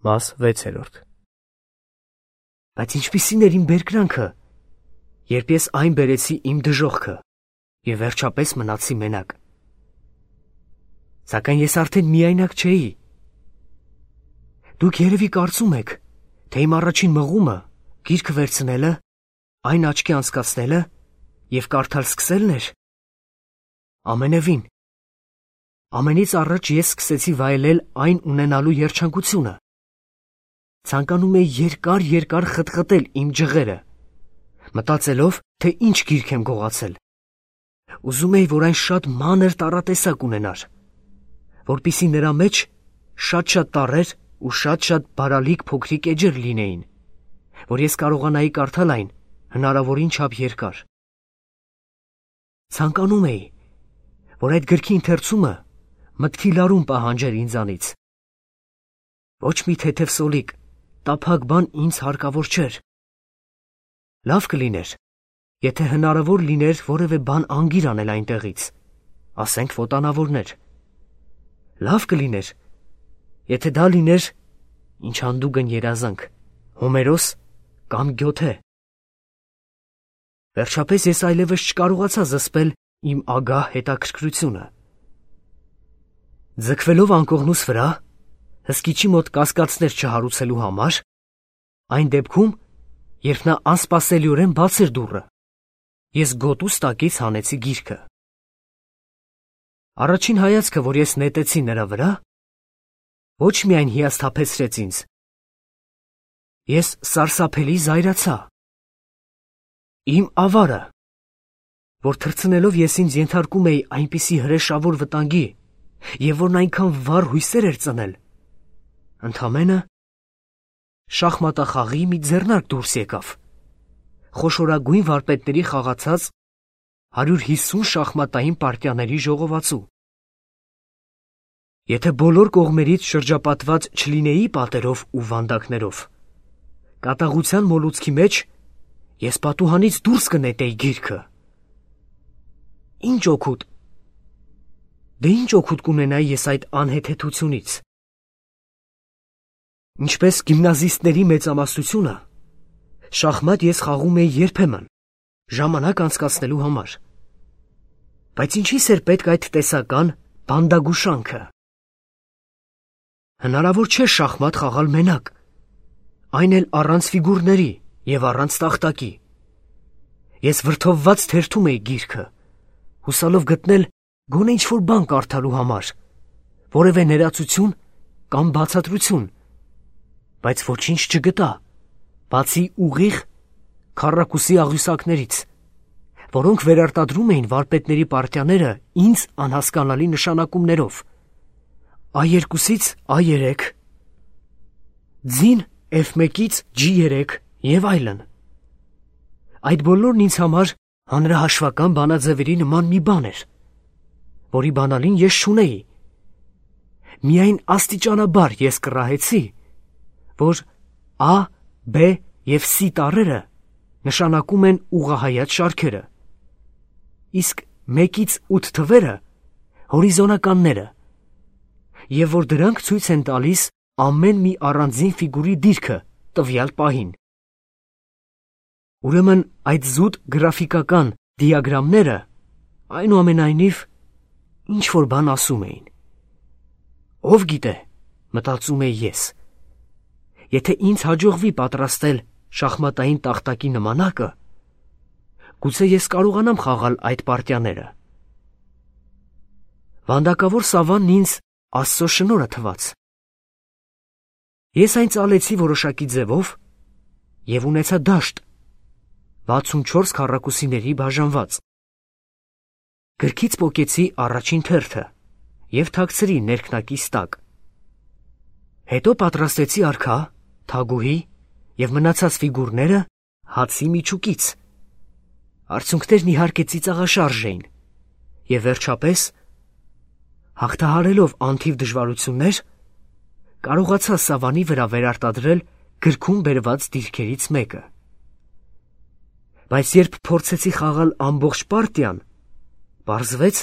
Մաս 6. Բայց ինչպիսին էր իմ բերկրանքը, երբ ես այն բերեցի իմ դժոխքը և վերջապես մնացի մենակ։ Սակայն ես արդեն միայնակ չէի։ Դուք երևի կարծում եք, թե իմ առաջին մղումը, գիրքը վերցնելը, այն աչքի անցկացնելը և կարդալ սկսելն էր։ Ամենևին։ Ամենից առաջ ես սկսեցի վայելել այն ունենալու երջանկությունը։ Ցանկանում էի երկար խտխտել իմ ջղերը, մտածելով, թե ինչ գիրք եմ գողացել։ Ուզում էի, որ այն շատ մանր տառատեսակ ունենար, որպեսզի նրա մեջ շատ տառեր ու շատ բարալիկ փոքրիկ էջեր լինեին, որ ես կարողանայի կարդալ այն հնարավորին չափ երկար։ Ցանկանում էի, որ այդ գրքի ընթերցումը մտքի լարում պահանջեր ինձանից։ Ոչ մի թեթև սոլիկ, տափակ բան ինձ հարկավոր չէր։ Լավ կլիներ, եթե հնարավոր լիներ որևէ բան անգիր անել այնտեղից, ասենք ոտանավորներ։ Լավ կլիներ, եթե դա լիներ ինչ հանդուգն երազանք, Հոմերոս կամ Գյոթե։ Վերջապես ես այլևս չկարողացա զսպել իմ ագահ հետաքրքրությունը։ Ձգվելով անկողնուս վրա, հսկիչի մոտ կասկածներ չհարուցելու համար, այն դեպքում, երբ նա անսպասելիորեն բացեր դուռը, ես գոտուս տակից հանեցի գիրքը։ Առաջին հայացքը, որ ես նետեցի նրա վրա, ոչ միայն հիասթափեցրեց ինձ, ես սարսափելի զայրացա։ Իմ ավարը, որ թռցնելով ես ինձ ենթարկում էի այնպիսի հրեշավոր վտանգի և որն այնքան վառ հույսեր էր ծնել, ընդամենը շախմատախաղի մի ձեռնարկ դուրս եկավ, խոշորագույն վարպետների խաղացած 150 շախմատային պարտիաների ժողովածու։ Եթե բոլոր կողմերից շրջապատված չլինեի պատերով ու վանդակներով, կատաղության մոլուցքի մեջ ես պատուհանից դուրս կնետեի գիրքը։ Ինչ օգուտ։ Դե ինչ օգուտ կունենայի ես այդ անհեթեթությունից։ Ինչպես գիմնազիստների մեծամասնությունը, շախմատ ես խաղում էի երբեմն, ժամանակ անցկացնելու համար։ Բայց ինչի՞ս էր պետք այդ տեսական բանդագուշանքը։ Հնարավոր չէ շախմատ խաղալ մենակ, այն էլ առանց ֆիգուրների և առանց տախտակի։ Ես վրդովված թերթում էի գիրքը, հուսալով գտնել գոնե ինչ-որ բան կարդալու համար, որևէ ներածություն կամ բացատրություն, բայց ոչինչ չգտա, բացի ուղիղ քառակուսի աղյուսակներից, որոնք վերարտադրում էին վարպետների պարտիաները ինձ անհասկանալի նշանակումներով. A2-ից A3, ձին F1-ից G3 և այլն։ Այդ բոլորն ինձ համար հանրահաշվական բանաձևերի նման մի բան էր, որի բանալին ես չունեի։ Միայն աստիճանաբար ես կռահեցի, որ A, B և C տառերը նշանակում են ուղղահայաց շարքերը, իսկ 1-ից 8 թվերը հորիզոնականները, և որ դրանք ցույց են տալիս ամեն մի առանձին ֆիգուրի դիրքը տվյալ պահին։ Ուրեմն այդ զուտ գրաֆիկական դիագրամները այնուամենայնիվ ինչ-որ բան ասում էին։ Ով գիտե, մտածում էի ես, եթե ինձ հաջողվի պատրաստել շախմատային տախտակի նմանակը, գուցե ես կարողանամ խաղալ այդ պարտիաները։ Վանդակավոր սավանն ինձ Աստծո շնորհը թվաց։ Ես այն ծալեցի որոշակի ձևով և ունեցա դաշտ 64 քառակուսիների բաժանված։ Գրքից պոկեցի առաջին թերթը և թաքցրի ներքնակիս տակ։ Հետո պատրաստեցի արքա, թագուհի և մնացած ֆիգուրները հացի միջուկից։ Արցունքներն իհարկե ծիծաղաշարժ էին, և վերջապես, հաղթահարելով անթիվ դժվարություններ, կարողացա սավանի վրա վերարտադրել գրքում բերված դիրքերից մեկը։ Բայց երբ փորձեցի խաղալ ամբողջ պարտիան, պարզվեց,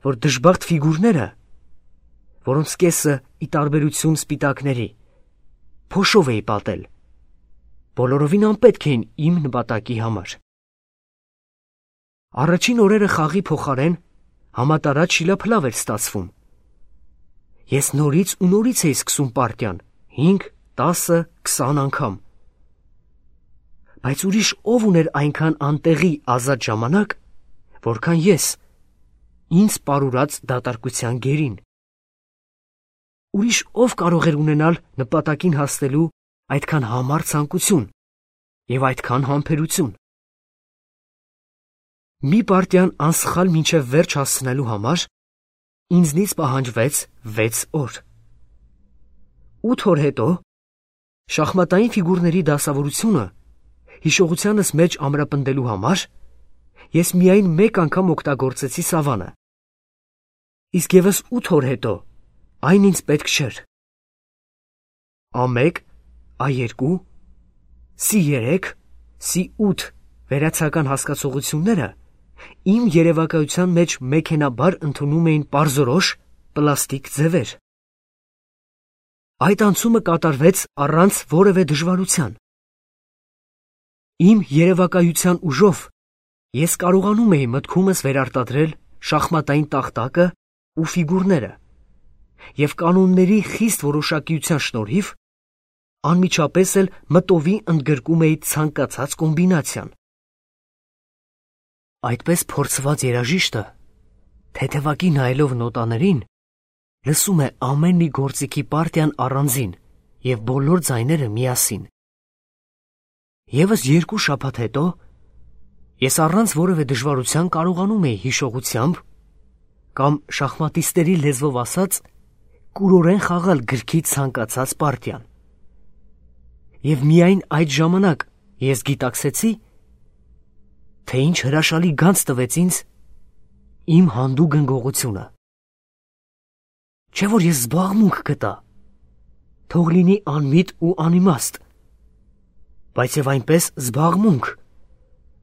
որ դժբախտ ֆիգուրները, որոնց կեսը ի տարբերություն սպիտակների, փոշով էի պատել։ Բոլորովին անպետք էին իմ նպատակի համար։ Առաջին օրերը խաղի փոխարեն համատարած շիլափլավ էր ստացվում։ Ես նորից ու նորից էի սկսում պարտիան 5, 10, 20 անգամ։ Բայց ուրիշ ով ուներ այնքան անտեղի ազատ ժամանակ, որքան ես, ինձ պարուրած դատարկության գերին։ Ուրիշ ով կարող էր ունենալ նպատակին հասնելու այդքան համառ ցանկություն և այդքան համբերություն։ Մի պարտիան անսխալ մինչև վերջ հասցնելու համար ինձնից պահանջվեց 6 օր։ 8 օր հետո շախմատային ֆիգուրների դասավորությունը հիշողությանս մեջ ամրապնդելու համար ես միայն մեկ անգամ օգտագործեցի սավանը։ Իսկ ևս 8 օր հետո այն ինձ պետք չէր։ A1, A2, C3, C8 վերացական հասկացողությունները իմ երևակայության մեջ մեքենաբար ընդունում էին պարզորոշ պլաստիկ ձևեր։ Այդ անցումը կատարվեց առանց որևէ դժվարության։ Իմ երևակայության ուժով ես կարողանում էի մտքումս վերարտադրել շախմատային տախտակը ու ֆիգուրները և կանոնների խիստ որոշակիության շնորհիվ անմիջապես էլ մտովի ընդգրկում էի ցանկացած կոմբինացիան։ Այդպես փորձված երաժիշտը, թեթևակի նայելով նոտաներին, լսում է ամեն մի գործիքի պարտիան առանձին և բոլոր ձայները միասին։ Եվս 2 շաբաթ հետո ես առանց որևէ դժվարության կարողանում էի հիշողությամբ կամ շախմատիստերի լեզվով ասած կուրորեն խաղալ գրքի ցանկացած պարտիան։ Եվ միայն այդ ժամանակ ես գիտակցեցի, թե ինչ հրաշալի գանձ տվեց ինձ իմ հանդուգն գողությունը։ Չէ՞ որ ես զբաղմունք գտա, թող լինի անմիտ ու անիմաստ, բայց և այնպես զբաղմունք,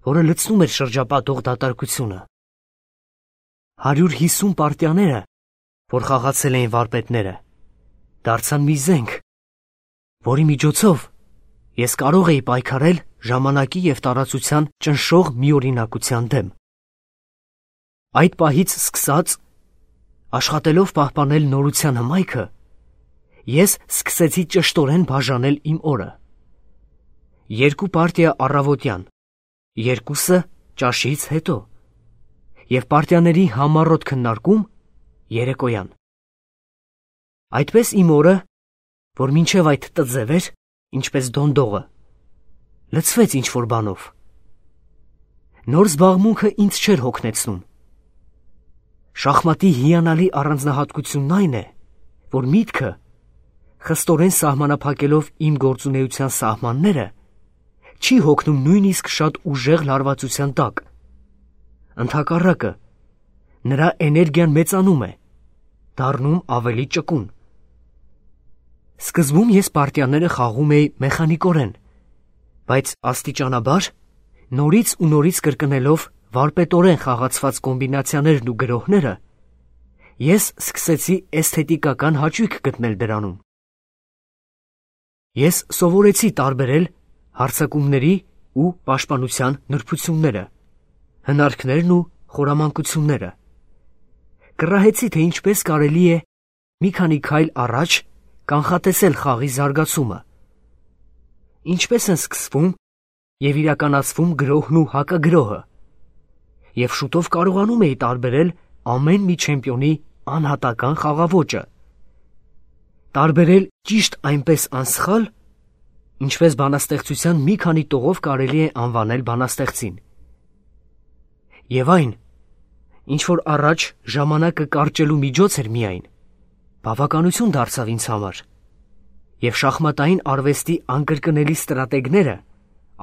որը լցնում էր շրջապատող դատարկությունը։ 150 պարտիաները, որ խաղացել էին վարպետները, դարձան մի զենք, որի միջոցով ես կարող էի պայքարել ժամանակի և տարածության ճնշող միօրինակության դեմ։ Այդ պահից սկսած, աշխատելով պահպանել նորության հմայքը, ես սկսեցի ճշտորեն բաժանել իմ օրը։ 2 պարտիա առավոտյան, 2-ը ճաշից հետո և պարտիաների համառոտ քննարկում երեկոյան։ Այդպես իմ օրը, որ մինչև այդ տձև էր, ինչպես դոնդողը, լցվեց ինչ-որ բանով։ Նոր զբաղմունքը ինձ չէր հոգնեցնում։ Շախմատի հիանալի առանձնահատկությունն այն է, որ միտքը, խստորեն սահմանափակելով իմ գործունեության սահմանները, չի հոգնում նույնիսկ շատ ուժեղ լարվածության տակ։ Ընդհակառակը, նրա էներգիան մեծանում է, դառնում ավելի ճկուն։ Սկզբում ես պարտիաները խաղում էի մեխանիկորեն, բայց աստիճանաբար, նորից ու նորից կրկնելով վարպետորեն խաղացված կոմբինացիաներն ու գրոհները, ես սկսեցի էսթետիկական հաճույք գտնել դրանում։ Ես սովորեցի տարբերել հարձակումների ու պաշտպանության նրբությունները, հնարքներն ու խորամանկությունները։ Կռահեցի, թե ինչպես կարելի է մի քանի քայլ առաջ կանխատեսել խաղի զարգացումը, ինչպես են սկսվում և իրականացվում գրոհն ու հակագրոհը, և շուտով կարողանում էի տարբերել ամեն մի չեմպիոնի անհատական խաղաոճը, տարբերել ճիշտ այնպես անսխալ, ինչպես բանաստեղծության մի քանի տողով կարելի է անվանել բանաստեղծին։ Եվ այն, ինչ որ առաջ ժամանակը կարճելու միջոց էր միայն, բավականություն դարձավ ինձ համար, և շախմատային արվեստի անկրկնելի ստրատեգները,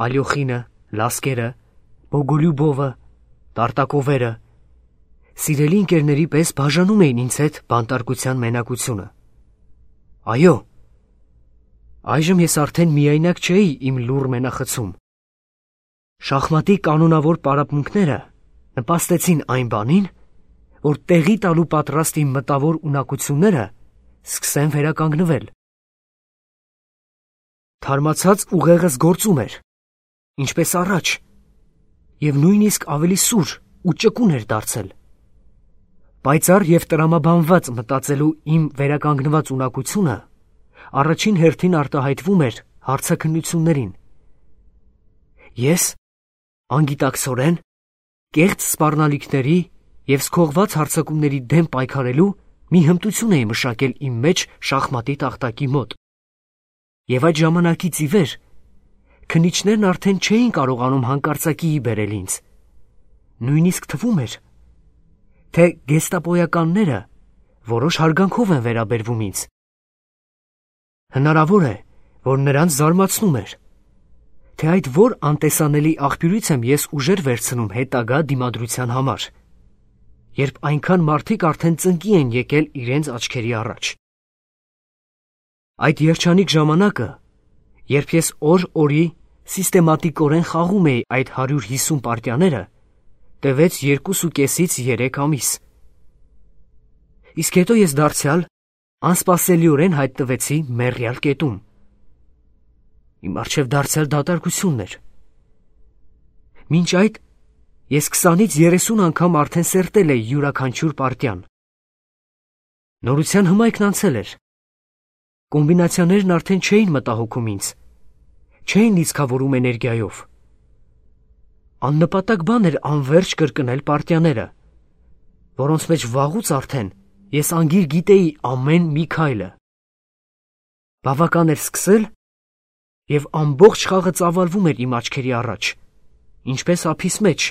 Ալյոխինը, Լասկերը, Բոգոլյուբովը, Տարտակովերը, սիրելի ընկերների պես բաժանում էին ինձ հետ բանտարկության մենակությունը։ Այո, այժմ ես արդեն միայնակ չէի իմ լուռ մենախցում։ Շախմատի կանոնավոր պարապմունքները նպաստեցին այն բանին, որ տեղի տալու պատրաստ իմ մտավոր ունակությունները սկսեն վերականգնվել։ Թարմացած ուղեղս գործում էր, ինչպես առաջ, և նույնիսկ ավելի սուր ու ճկուն էր դարձել։ Պայծառ և տրամաբանված մտածելու իմ վերականգնված ունակությունը առաջին հերթին արտահայտվում էր հարցաքննություններին։ Ես անգիտակցորեն կեղծ սպառնալիքների և սքողված հարձակումների դեմ պայքարելու մի հմտություն էի մշակել իմ մեջ շախմատի տախտակի մոտ։ Եվ այդ ժամանակից ի վեր քննիչներն արդեն չէին կարողանում հանկարծակիի բերել ինձ։ Նույնիսկ թվում էր, թե գեստապոյականները որոշ հարգանքով են վերաբերվում ինձ։ Հնարավոր է, որ նրանց զարմացնում էր, թե այդ որ անտեսանելի աղբյուրից եմ ես ուժեր վերցնում հետագա դիմադրության համար, երբ այնքան մարդիկ արդեն ծնկի են եկել իրենց աչքերի առաջ։ Այդ երջանիկ ժամանակը, երբ ես օր-օրի սիստեմատիկորեն խաղում էի այդ 150 պարտիաները, տևեց 2.5-ից 3 ամիս։ Իսկ հետո ես դարձյալ անսպասելիորեն հայտնվեցի մեռյալ կետում։ Իմ առջև դարձյալ դատարկությունն էր։ Մինչ այդ ես 20-ից 30 անգամ արդեն սերտել էի յուրաքանչյուր պարտիան։ Նորության հմայքն անցել էր։ Կոմբինացիաներն արդեն չէին մտահոգում ինձ, չէին լիցքավորում էներգիայով։ Աննպատակ բան էր անվերջ կրկնել պարտիաները, որոնց մեջ վաղուց արդեն ես անգիր գիտեի ամեն մի քայլը։ Բավական էր սկսել, և ամբողջ խաղը ծավալվում էր իմ աչքերի առաջ, ինչպես ափիս մեջ։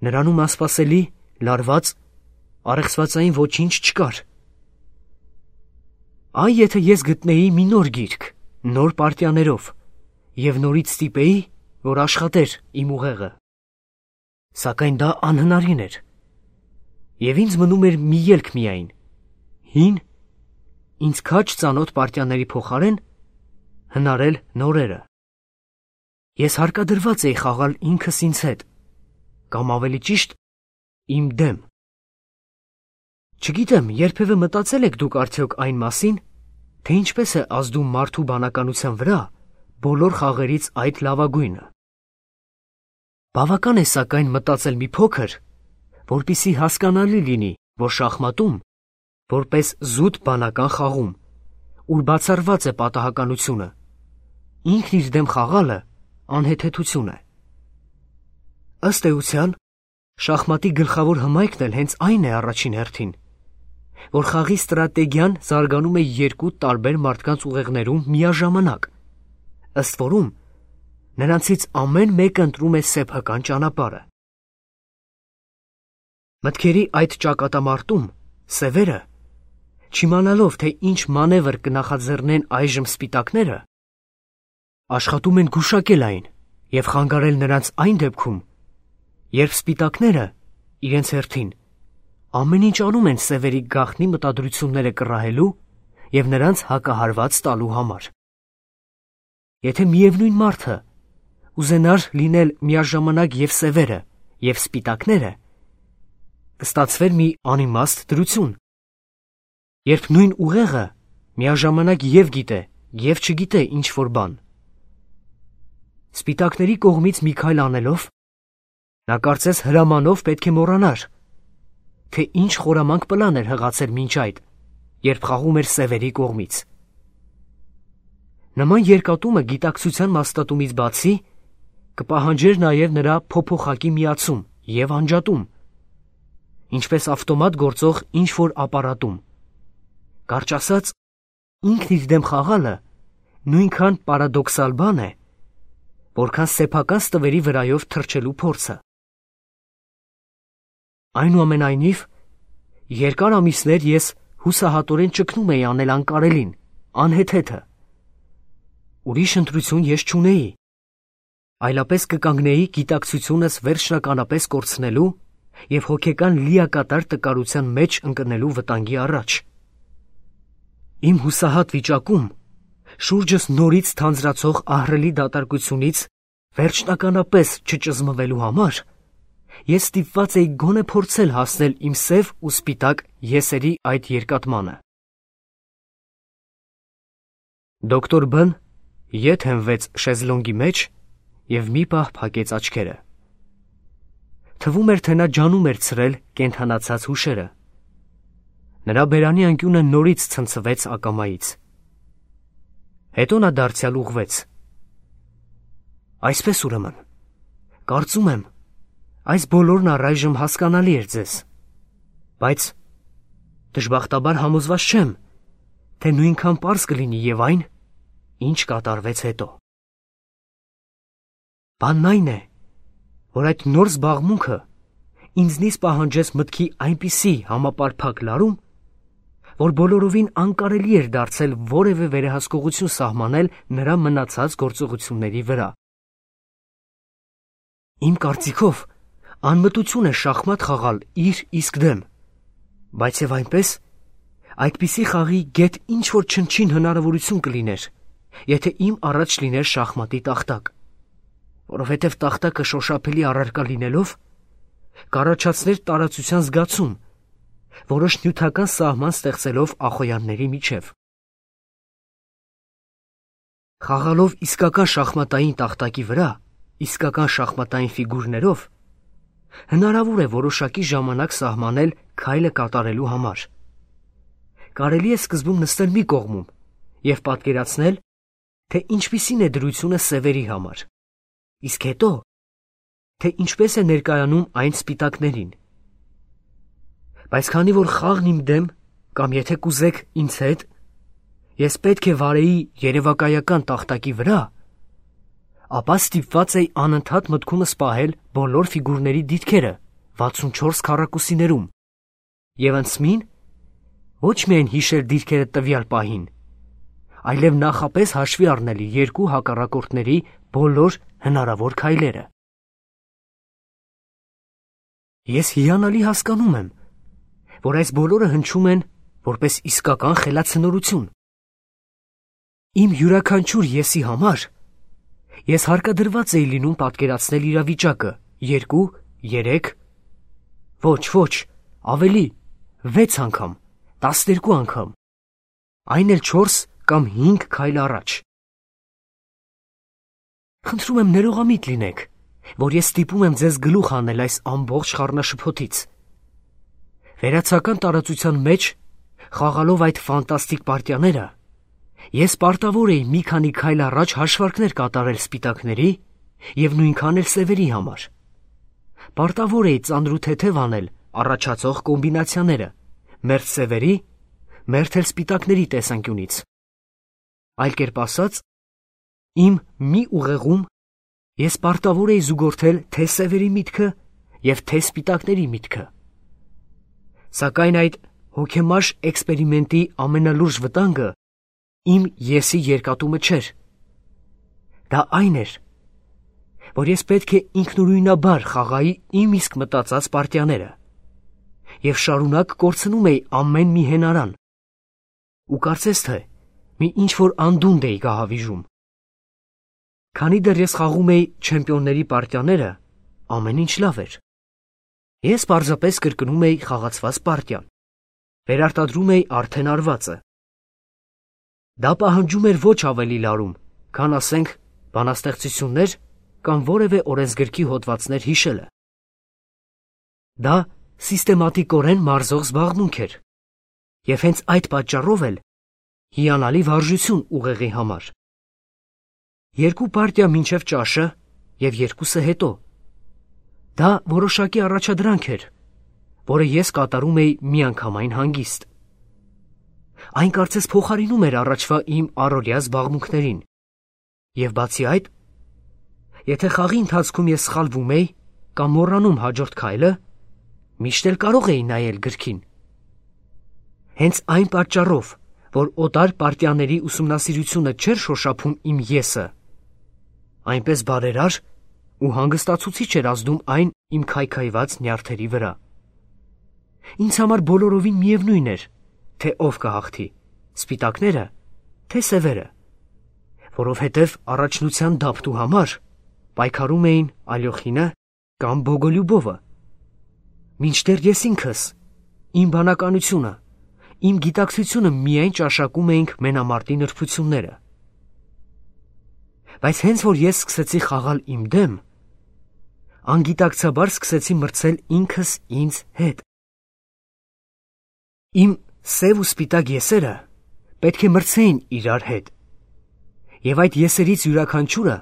Նրանում անսպասելի, լարված, առեղծվածային ոչինչ չկար։ Այ եթե ես գտնեի մի նոր գիրք, նոր պարտիաներով, և նորից ստիպեի, որ աշխատեր իմ ուղեղը։ Սակայն դա անհնարին էր, և ինձ մնում էր մի ելք միայն՝ հին, ինձ քաջ ծանոթ պարտիաների փոխարեն հնարել նորերը։ Ես հարկադրված էի խաղալ ինքս ինձ հետ, կամ ավելի ճիշտ, իմ դեմ։ Չգիտեմ, երբևէ մտածել եք դուք արդյոք այն մասին, թե ինչպես է ազդում մարդու բանականության վրա բոլոր խաղերից այդ լավագույնը։ Բավական է սակայն մտածել մի փոքր, որպեսզի հասկանալի լինի, որ շախմատում, որպես զուտ բանական խաղում, ուր բացառված է պատահականությունը, ինքն իր դեմ խաղալը անհեթեթություն է։ Ըստ էության, շախմատի գլխավոր հմայքն էլ հենց այն է առաջին հերթին, որ խաղի ստրատեգիան զարգանում է երկու տարբեր մարդկանց ուղեղներում միաժամանակ, ըստ որում նրանցից ամեն մեկը ընտրում է սեփական ճանապարհը։ Մտքերի այդ ճակատամարտում սևերը, չիմանալով, թե ինչ մանևր կնախաձեռնեն այժմ սպիտակները, աշխատում են գուշակել այն և խանգարել նրանց այն դեպքում, երբ սպիտակները իրենց հերթին ամեն ինչ անում են սևերի գաղտնի մտադրությունները կռահելու և նրանց հակահարված տալու համար։ Եթե միևնույն մարդը ուզենար լինել միաժամանակ և սևերը, և սպիտակները, կստացվեր մի անիմաստ դրություն, երբ նույն ուղեղը միաժամանակ և գիտե, և չգիտե ինչ-որ բան։ Սպիտակների կողմից մի քայլ անելով, նա կարծես հրամանով պետք է մոռանար, թե ինչ խորամանկ պլան էր հղացել մինչ այդ, երբ խաղում էր սևերի կողմից։ Նման երկատումը գիտակցության մաստատումից բացի կպահանջեր նաև նրա փոփոխակի միացում և անջատում, ինչպես ավտոմատ գործող ինչ-որ ապարատում։ Կարճ ասած, ինքն իր դեմ խաղալը նույնքան պարադոքսալ բան է, որքան սեփական ստվերի վրայով թռչելու փորձը։ Այնուամենայնիվ, երկար ամիսներ ես հուսահատորեն ճգնում էի անել անկարելին, անհեթեթը։ Ուրիշ ընտրություն ես չունեի, այլապես կկանգնեի գիտակցությունս վերջնականապես կորցնելու և հոգեկան լիակատար տկարության մեջ ընկնելու վտանգի առաջ։ Իմ հուսահատ վիճակում, շուրջս նորից թանձրացող ահռելի դատարկությունից վերջնականապես չճզմվելու համար, ես ստիպված էի գոնե փորձել հասնել իմ սև ու սպիտակ եսերի այդ երկատմանը։ Դոկտոր Բ-ն ետ հենվեց շեզլոնգի մեջ և մի պահ փակեց աչքերը։ Թվում էր, թե նա ջանում էր ցրել կենդանացած հուշերը։ Նրա բերանի անկյունը նորից ցնցվեց ակամայից։ Հետո նա դարձյալ ուղղվեց։ Այսպես ուրեմն, կարծում եմ, այս բոլորն առայժմ հասկանալի էր ձեզ, բայց դժբախտաբար համոզված չեմ, թե նույնքան պարզ կլինի և այն, ինչ կատարվեց հետո։ Բանն այն է, որ այդ նոր զբաղմունքը ինձնից պահանջեց մտքի այնպիսի համապարփակ լարում, որ բոլորովին անկարելի էր դարձել որևէ վերահսկողություն սահմանել նրա մնացած գործողությունների վրա։ Իմ կարծիքով անմտություն է շախմատ խաղալ իր իսկ դեմ, բայց և այնպես այդպիսի խաղի գեթ ինչ-որ չնչին հնարավորություն կլիներ, եթե իմ առաջ լիներ շախմատի տախտակ, որովհետև տախտակը շոշափելի առարկա լինելով, կառաջացներ տարածության զգացում, որոշ նյութական սահման ստեղծելով ախոյանների միջև։ Խաղալով իսկական շախմատային տախտակի վրա, իսկական շախմատային ֆիգուրներով, հնարավոր է որոշակի ժամանակ սահմանել քայլը կատարելու համար։ Կարելի է սկզբում նստել մի կողմում և պատկերացնել, թե ինչպիսին է դրությունը սևերի համար, իսկ հետո, թե ինչպես է ներկայանում այն սպիտակներին։ Բայց քանի որ խաղն իմ դեմ, կամ եթե կուզեք ինձ հետ, ես պետք է վարեի երևակայական տախտակի վրա, ապա ստիպված էի անընդհատ մտքումս պահել բոլոր ֆիգուրների դիրքերը 64 քառակուսիներում և անցմին ոչ միայն հիշել դիրքերը տվյալ պահին, այլև նախապես հաշվի առնել երկու հակառակորդների բոլոր հնարավոր քայլերը։ Ես հիանալի հասկանում եմ, որ այս բոլորը հնչում են որպես իսկական խելացնորություն։ Իմ յուրաքանչյուր եսի համար ես հարկադրված էի լինում պատկերացնել իրավիճակը 2, 3, ոչ, ավելի, 6 անգամ, 12 անգամ, այն էլ 4 կամ 5 քայլ առաջ։ Խնդրում եմ ներողամիտ լինեք, որ ես ստիպում եմ ձեզ գլուխ հանել այս ամբողջ խառնաշփոթից։ Վերացական տարածության մեջ, խաղալով այդ ֆանտաստիկ պարտիաները, ես պարտավոր էի մի քանի քայլ առաջ հաշվարկներ կատարել սպիտակների և նույնքան էլ սևերի համար։ Պարտավոր էի ծանրութեթև անել առաջացող կոմբինացիաները մերթ սևերի, մերթ էլ սպիտակների տեսանկյունից։ Այլ կերպ ասած, իմ մի ուղեղում ես պարտավոր էի զուգորդել թե սևերի միտքը և թե սպիտակների միտքը։ Սակայն այդ հոգեմարշ էքսպերիմենտի ամենալուրջ վտանգը իմ եսի երկատումը չէր։ Դա այն էր, որ ես պետք է ինքնուրույնաբար խաղայի իմ իսկ մտածած պարտիաները և շարունակ կորցնում էի ամեն մի հենարան ու կարծես թե մի ինչ-որ անդունդ էի գահավիժում։ Քանի դեռ ես խաղում էի չեմպիոնների պարտիաները, ամեն ինչ լավ էր։ Ես պարզապես կրկնում էի խաղացված պարտիան, վերարտադրում էի արդեն արվածը։ Դա պահանջում էր ոչ ավելի լարում, քան ասենք բանաստեղծություններ կամ որևէ օրենսգրքի հոդվածներ հիշելը։ Դա սիստեմատիկորեն մարզող զբաղմունք էր, և հենց այդ պատճառով էլ հիանալի վարժություն ուղեղի համար։ 2 պարտիա մինչև ճաշը և 2-ը հետո։ Դա որոշակի առաջադրանք էր, որը ես կատարում էի միանգամայն հանգիստ։ Այն կարծես փոխարինում էր առաջվա իմ առօրյա զբաղմունքներին։ Եվ բացի այդ, եթե խաղի ընթացքում ես սխալվում էի կամ մոռանում հաջորդ քայլը, միշտ էլ կարող էի նայել գրքին։ Հենց այն պատճառով, որ օտար պարտիաների ուսումնասիրությունը չէր շոշափում իմ եսը, այնպես բարերար ու հանգստացուցիչ էր ազդում այն իմ քայքայված նյարդերի վրա։ Ինձ համար բոլորովին միևնույն էր, թե ով կհաղթի, սպիտակները, թե սևերը, որովհետև առաջնության դափտու համար պայքարում էին Ալյոխինը կամ Բոգոլյուբովը։ Մինչդեռ ես ինքս, իմ բանականությունը, իմ գիտակցությունը միայն ճաշակում էինք մենամարտի նրբությունները։ Բայց հենց որ ես սկսեցի խաղալ իմ դեմ, անգիտակցաբար սկսեցի մրցել ինքս ինձ հետ։ Իմ սև ու սպիտակ եսերը պետք է մրցեին իրար հետ։ Եվ այդ եսերից յուրաքանչյուրը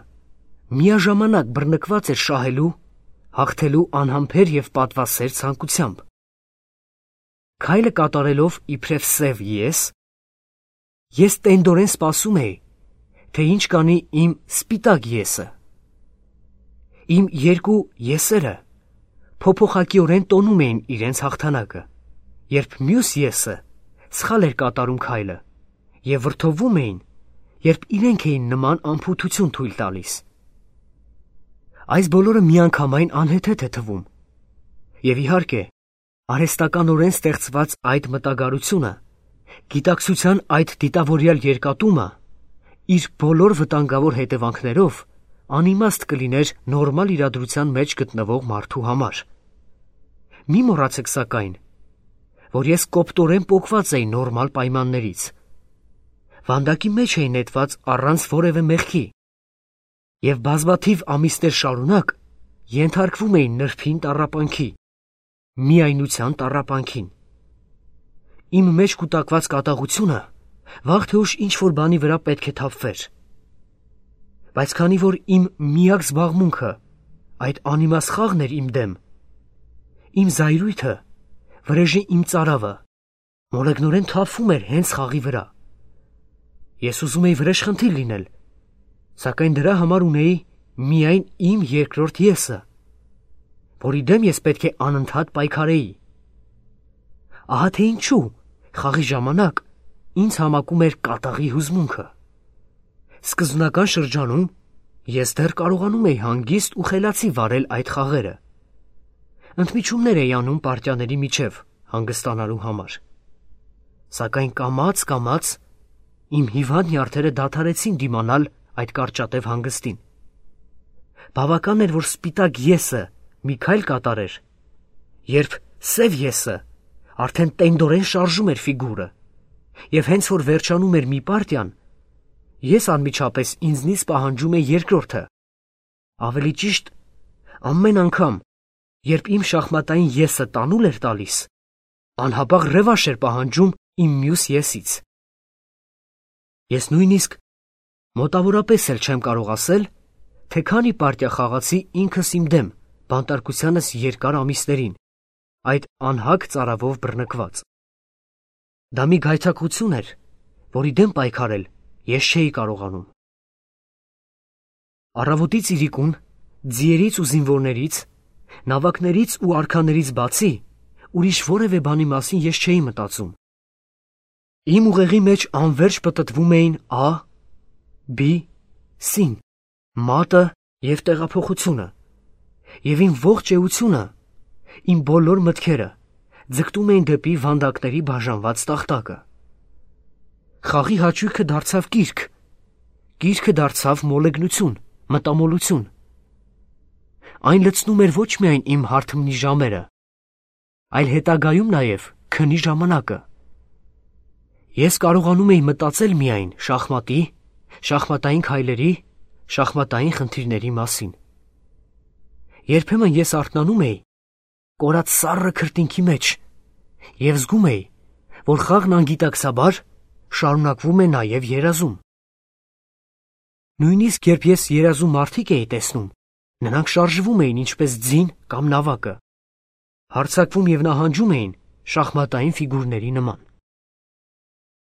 միաժամանակ բռնկված էր շահելու, հաղթելու անհամբեր և պատվասեր ցանկությամբ։ Քայլը կատարելով իբրև սև ես տենդորեն սպասում էի, թե ինչ կանի իմ սպիտակ եսը։ Իմ երկու եսերը փոփոխակիորեն տոնում էին իրենց հաղթանակը, երբ մյուս եսը սխալ էր կատարում քայլը և վրդովվում էին, երբ իրենք էին նման անփութություն թույլ տալիս։ Այս բոլորը միանգամայն անհեթեթ է թվում։ Եվ իհարկե, արհեստականորեն ստեղծված այդ մտագարությունը, գիտակցության այդ դիտավորյալ երկատումը, իր բոլոր վտանգավոր հետևանքներով անիմաստ կլիներ նորմալ իրադրության մեջ գտնվող մարդու համար։ Մի մոռացեք սակայն, որ ես կոպտորեն պոկված էի նորմալ պայմաններից։ Վանդակի մեջ էի նետված առանց որևէ մեղքի և բազմաթիվ ամիսներ շարունակ ենթարկվում էի նրբին տառապանքի, միայնության տառապանքին։ Իմ մեջ կուտակված կատաղությունը վաղ թե ուշ ինչ-որ բանի վրա պետք է թափվեր։ Բայց քանի որ իմ միակ զբաղմունքը այդ անիմաստ խաղն էր իմ դեմ, իմ զայրույթը, վրեժի իմ ծարավը, մոլեգնորեն թափվում էր հենց խաղի վրա։ Ես ուզում էի վրեժխնդիր լինել, սակայն դրա համար ունեի միայն իմ երկրորդ եսը, որի դեմ ես պետք է անընդհատ պայքարեի։ Ահա թե ինչու խաղի ժամանակ ինձ համակում էր կատաղի հուզմունքը։ Սկզբնական շրջանում ես դեռ կարողանում էի հանգիստ ու խելացի վարել այդ խաղերը։ Ընդմիջումներ էի անում պարտիաների միջև հանգստանալու համար։ Սակայն կամաց իմ հիվանդ նյարդերը դադարեցին դիմանալ այդ կարճատև հանգստին։ Բավական էր, որ սպիտակ եսը մի քայլ կատարեր, երբ սև եսը արդեն տենդորեն շարժում էր ֆիգուրը, և հենց որ վերջանում էր մի պարտիան, ես անմիջապես ինձնից պահանջում էի երկրորդը։ Ավելի ճիշտ, ամեն անգամ, երբ իմ շախմատային եսը տանուլ էր տալիս, անհապաղ ռևանշ էր պահանջում իմ մյուս եսից։ Ես նույնիսկ մոտավորապես էլ չեմ կարող ասել, թե քանի պարտիա խաղացի ինքս իմ դեմ բանտարկությանս երկար ամիսներին, այդ անհագ ծարավով բռնկված։ Դա մի գայթակղություն էր, որի դեմ պայքարել ես չէի կարողանում։ Առավոտից իրիկուն, ձիերից ու զինվորներից, նավակներից ու արքաներից բացի, ուրիշ որևէ բանի մասին ես չէի մտածում։ Իմ ուղեղի մեջ անվերջ պտտվում էին A, B, C-ն, մատը և տեղափոխությունը, և իմ ողջ էությունը, իմ բոլոր մտքերը ձգտում էին դեպի վանդակների բաժանված տախտակը։ Խաղի հաճույքը դարձավ կիրք, կիրքը դարձավ մոլեգնություն, մտամոլություն։ Այն լցնում էր ոչ միայն իմ հարթմնի ժամերը, այլ հետագայում նաև քնի ժամանակը։ Ես կարողանում էի մտածել միայն շախմատի, շախմատային քայլերի, շախմատային խնդիրների մասին։ Երբեմն ես արթնանում էի կորած սառը քրտինքի մեջ և զգում էի, որ խաղն անգիտակցաբար շարունակվում է նաև երազում։ Նույնիսկ երբ ես երազում մարդիկ էի տեսնում, նրանք շարժվում էին ինչպես ձին կամ նավակը, հարձակվում և նահանջում էին շախմատային ֆիգուրների նման։